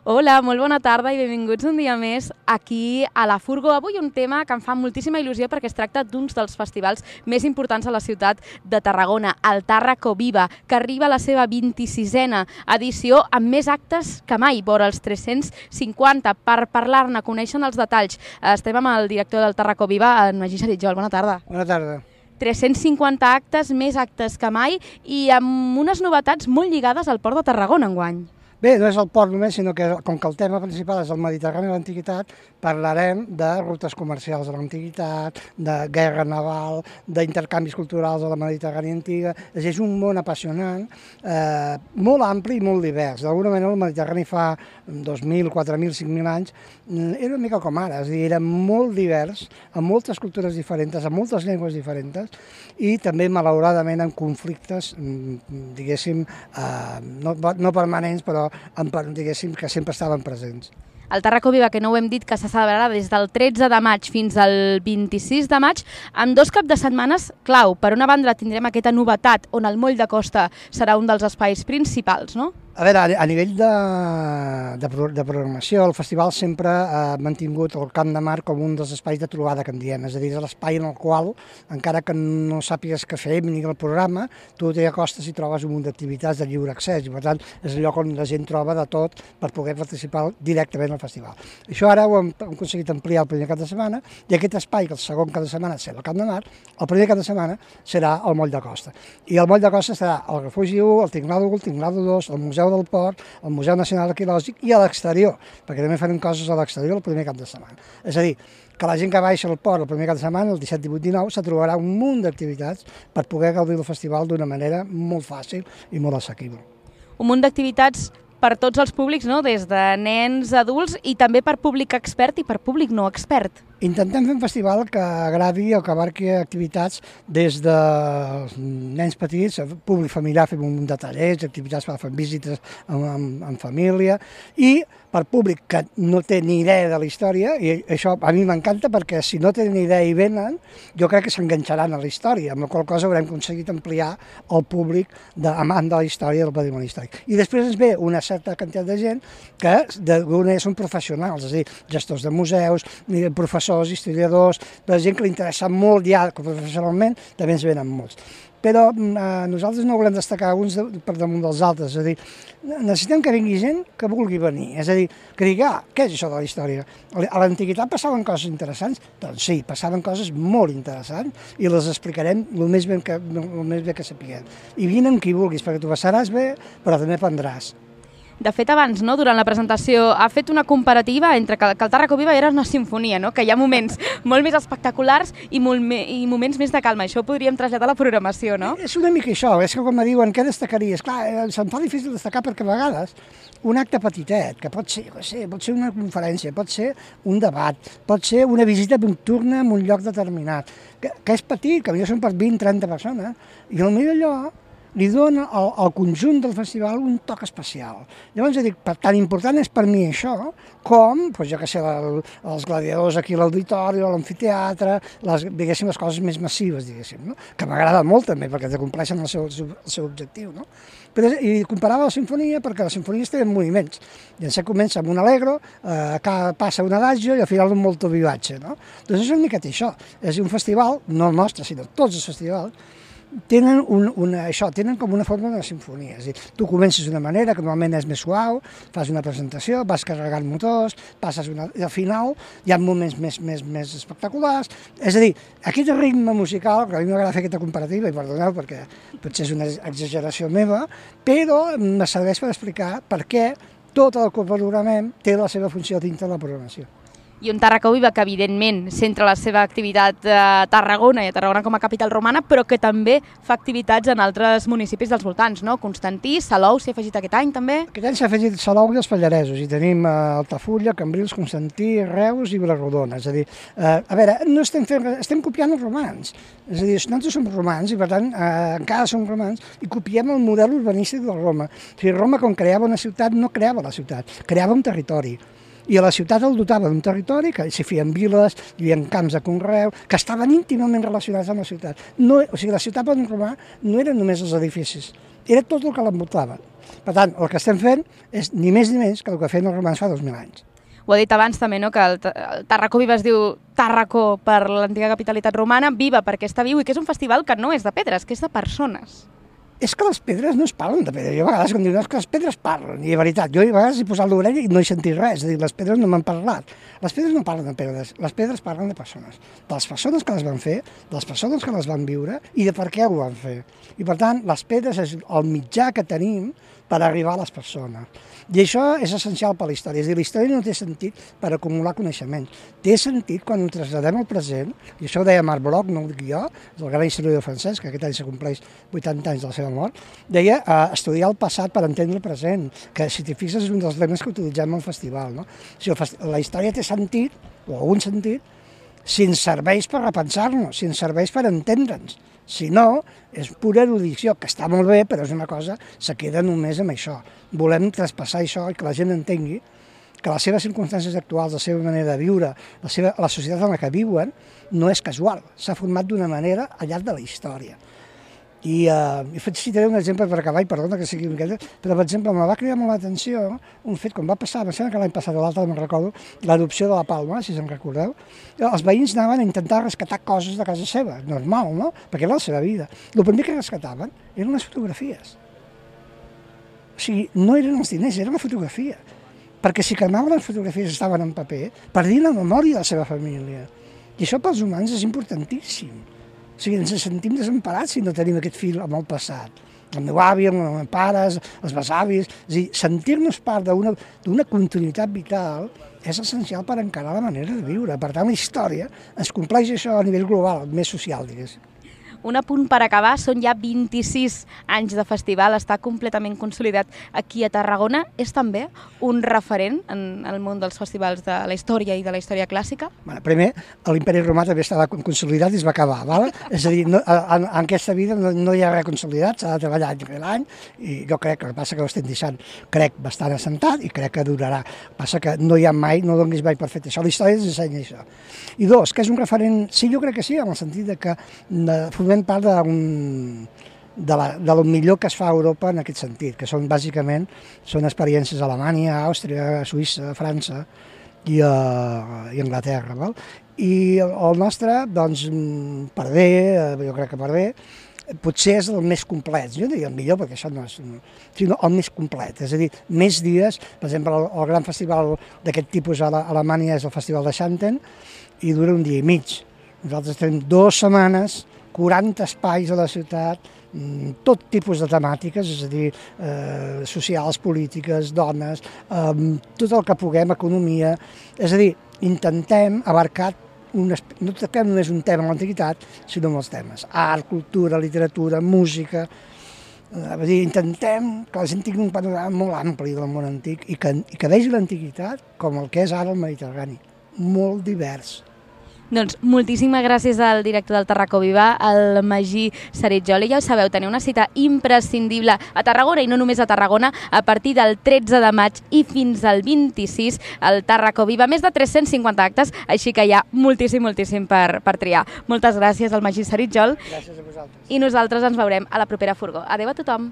Hola, molt bona tarda i benvinguts un dia més aquí a la Furgo. Avui un tema que em fa moltíssima il·lusió perquè es tracta d'uns dels festivals més importants a la ciutat de Tarragona, el Tàrraco Viva, que arriba a la seva 26a edició amb més actes que mai, vora els 350. Per parlar-ne, conèixer els detalls, estem amb el director del Tàrraco Viva, en Magí Saritjol. Bona tarda. Bona tarda. 350 actes, més actes que mai i amb unes novetats molt lligades al Port de Tarragona enguany. Bé, no és el port només, sinó que com que el tema principal és el Mediterrani i l'antiguitat, parlarem de rutes comercials de l'antiguitat, de guerra naval, d'intercanvis culturals de la Mediterrània antiga. És un món apassionant, molt ampli i molt divers. D'alguna manera el Mediterrani fa 2.000, 4.000, 5.000 anys era una mica com ara, és a dir, era molt divers, amb moltes cultures diferents, amb moltes llengües diferents i també, malauradament, amb conflictes, diguéssim, no permanents, però diguéssim que sempre estaven presents. El Tàrraco Viva, que no ho hem dit, que se celebrarà des del 13 de maig fins al 26 de maig, amb 2 caps de setmanes clau. Per una banda tindrem aquesta novetat on el Moll de Costa serà un dels espais principals, no? A veure, a nivell de programació, el festival sempre ha mantingut el Camp de Mar com un dels espais de trobada que en diem, és a dir, és l'espai en el qual, encara que no sàpigues què fer ni el programa, tu t'hi acostes i trobes un munt d'activitats de lliure accés i, per tant, és el lloc on la gent troba de tot per poder participar directament al festival. Això ara ho hem aconseguit ampliar el primer cap de setmana i aquest espai, que el segon cap de setmana serà el Camp de Mar, el primer cap de setmana serà el Moll de Costa. I el Moll de Costa serà el Refugi 1, el Tinglado 1, el Tinglado 2, el Museu del Port, el Museu Nacional Arqueològic i a l'exterior, perquè també farem coses a l'exterior el primer cap de setmana. És a dir, que la gent que baixa al port el primer cap de setmana, el 17, 18, 19, se trobarà un munt d'activitats per poder gaudir del festival d'una manera molt fàcil i molt assequible. Un munt d'activitats per tots els públics, no? Des de nens, adults i també per públic expert i per públic no expert. Intentem fer un festival que agradi o que abarqui activitats des de nens petits, públic familiar, fem un munt de tallers, activitats per fer visites en família, i per públic que no té ni idea de la història, i això a mi m'encanta perquè si no tenen idea i venen, jo crec que s'enganxaran a la història, amb la qual cosa haurem aconseguit ampliar el públic amant de la història del patrimoni històric. I després ens ve una certa quantitat de gent que d'alguna manera són professionals, és a dir, gestors de museus, professors, historiadors, la gent que li interessa molt ja professionalment, també ens venen molts. Però nosaltres no volem destacar uns per damunt dels altres, és a dir, necessitem que vingui gent que vulgui venir, és a dir, que digui, què és això de la història? A l'antiguitat passaven coses interessants? Doncs sí, passaven coses molt interessants i les explicarem el més bé que sapiguem. I vine amb qui vulguis, perquè tu passaràs bé, però també aprendràs. De fet, abans, no, durant la presentació, ha fet una comparativa entre que el Tàrraco Viva era una sinfonia, no? Que hi ha moments molt més espectaculars i moments més de calma. Això ho podríem traslladar a la programació, no? És una mica això, és que quan me diuen què destacaries, clar, se'm fa difícil destacar perquè a vegades un acte petitet, que pot ser una conferència, pot ser un debat, pot ser una visita nocturna en un lloc determinat, que és petit, que potser són per 20-30 persones, i potser allò li dona al conjunt del festival un toc especial. Llavors, dic, tan important és per mi això, com, jo què sé, els gladiadors aquí a l'auditori, a l'amfiteatre, diguéssim, les coses més massives, diguéssim, no? Que m'agrada molt també, perquè compleixen el seu objectiu, no? I comparava la sinfonia perquè les sinfonies tenen moviments. Llavors comença amb un allegro, passa un adagio i al final un molto vivace, no? Doncs és una miqueta això. És un festival, no el nostre, sinó tots els festivals, tenen com una forma de sinfonia. És a dir, tu comences d'una manera que normalment és més suau, fas una presentació, vas carregant motors, i al final hi ha moments més espectaculars. És a dir, aquest ritme musical, que a mi m'agrada fer aquesta comparativa, i perdoneu perquè potser és una exageració meva, però me serveix per explicar per què tot el que programem té la seva funció dintre de la programació. I un Tàrraco Viva que, evidentment, centra la seva activitat a Tarragona i a Tarragona com a capital romana, però que també fa activitats en altres municipis dels voltants, no? Constantí, Salou s'hi ha afegit aquest any, també? Aquest any s'ha afegit Salou i els Pallaresos, i tenim Altafulla, Cambrils, Constantí, Reus i Vilarrodona. És a dir, a veure, estem copiant els romans. És a dir, nosaltres som romans i, per tant, encara som romans i copiem el model urbanístic de Roma. O sigui, Roma, quan creava una ciutat, no creava la ciutat, creava un territori. I a la ciutat el dotava d'un territori, que s'hi feien viles, hi havia camps de conreu, que estaven íntimament relacionats amb la ciutat. O sigui, la ciutat romà no eren només els edificis, era tot el que l'envoltava. Per tant, el que estem fent és ni més ni menys que el que feien els romans fa 2.000 anys. Ho ha dit abans també, no? Que el Tàrraco Viva es diu Tàrraco per l'antiga capitalitat romana, Viva perquè està viu i que és un festival que no és de pedres, que és de persones. És que les pedres no es parlen de pedra. Jo a vegades quan diuen que les pedres parlen, i de veritat, jo a vegades he posat l'orella i no he sentit res, és a dir, les pedres no m'han parlat. Les pedres no parlen de pedres, les pedres parlen de persones. De les persones que les van fer, de les persones que les van viure i de per què ho van fer. I per tant, les pedres és el mitjà que tenim per arribar a les persones. I això és essencial per a la història. És a dir, la història no té sentit per acumular coneixement. Té sentit quan ho traslladem al present, i això ho deia Marc Bloch, no ho dic jo, és el gran historiador francès, que aquest any se compleix 80 anys de la seva mort, deia estudiar el passat per entendre el present, que si t'hi fixes és un dels lemes que utilitzem al festival. No? Si la història té sentit, o algun sentit, si ens serveix per repensar-nos, si ens serveix per entendre'ns. Si no, és pura erudició, que està molt bé, però és una cosa, se queda només amb això. Volem traspassar això i que la gent entengui que les seves circumstàncies actuals, la seva manera de viure, la societat en la que viuen, no és casual, s'ha format d'una manera al llarg de la història. I citaré un exemple per acabar, i perdona que sigui miqueta, però per exemple em va cridar molt l'atenció un fet quan va passar, em sembla que l'any passat o l'altre no me'n recordo, l'erupció de la Palma, si se'n recordeu, els veïns anaven a intentar rescatar coses de casa seva, normal, no? Perquè era la seva vida. El primer que rescataven eren les fotografies. O sigui, no eren els diners, era la fotografia. Perquè si cremaven les fotografies estaven en paper, perdien la memòria de la seva família. I això pels humans és importantíssim. O sigui, ens sentim desemparats si no tenim aquest fil amb el passat. El meu avi, els meus pares, els besavis... És a dir, sentir-nos part d'una continuïtat vital és essencial per encarar la manera de viure. Per tant, la història ens compleix això a nivell global, més social, diguéssim. Un apunt per acabar, són ja 26 anys de festival, està completament consolidat aquí a Tarragona. És també un referent en el món dels festivals de la història i de la història clàssica? Bueno, primer, l'Imperi Romà també estava consolidat i es va acabar, val? És a dir, en aquesta vida no hi ha res consolidat, s'ha de treballar any rere any, i jo crec que el que passa que ho estem deixant, crec, bastant assentat i crec que durarà. Passa que no hi ha mai, no donis mai per fet això, la història ens ensenya això. I dos, que és un referent, sí, jo crec que sí, en el sentit de que formem part de lo millor que es fa a Europa en aquest sentit, que són bàsicament experiències a Alemanya, Àustria, Suïssa, França i Anglaterra. Val? I el nostre, doncs, per bé, jo crec que per bé, potser és el més complet, jo diria el millor perquè això no és, sinó el més complet, és a dir, més dies, per exemple, el gran festival d'aquest tipus a Alemanya és el Festival de Xanten i dura un dia i mig. Nosaltres tenim 2 setmanes, 40 espais a la ciutat, tot tipus de temàtiques, és a dir, socials, polítiques, dones, tot el que puguem, economia, és a dir, intentem abarcar no toquem només un tema en l'antiguitat, sinó molts temes. Art, cultura, literatura, música. Intentem que la gent tingui un panorama molt ampli del món antic i que vegi l'antiguitat com el que és ara el Mediterrani, molt divers. Doncs moltíssimes gràcies al director del Tàrraco Viva, el Magí Saritjol. I ja ho sabeu, teniu una cita imprescindible a Tarragona, i no només a Tarragona, a partir del 13 de maig i fins al 26, al Tàrraco Viva. Més de 350 actes, així que hi ha moltíssim per triar. Moltes gràcies al Magí Saritjol. Gràcies a vosaltres. I nosaltres ens veurem a la propera Furgó. Adéu a tothom.